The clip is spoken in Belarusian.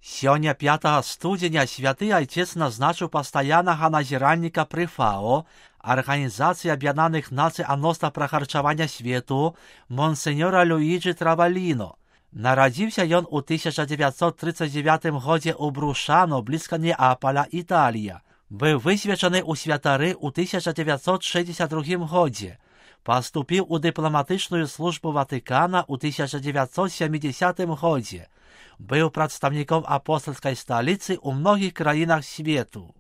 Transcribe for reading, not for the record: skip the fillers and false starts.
Сёння 5 студзеня святы айцец назначыў пастаяннага назіральніка пры ФАО, Арганізацыі Аб'яднаных Нацый адносна прахарчавання свету, монсеньора Люіджі Траваліно. Нарадзіўся ён у 1939 годзе ў Брушано, блізка Неапаля, Італія. Быў высвечаны ў святары ў 1962 годзе. Паступіў у дыпламатычную службу Ватыкана ў 1970 годзе. Быў прадстаўніком апостальскай сталіцы ў многіх краінах свету.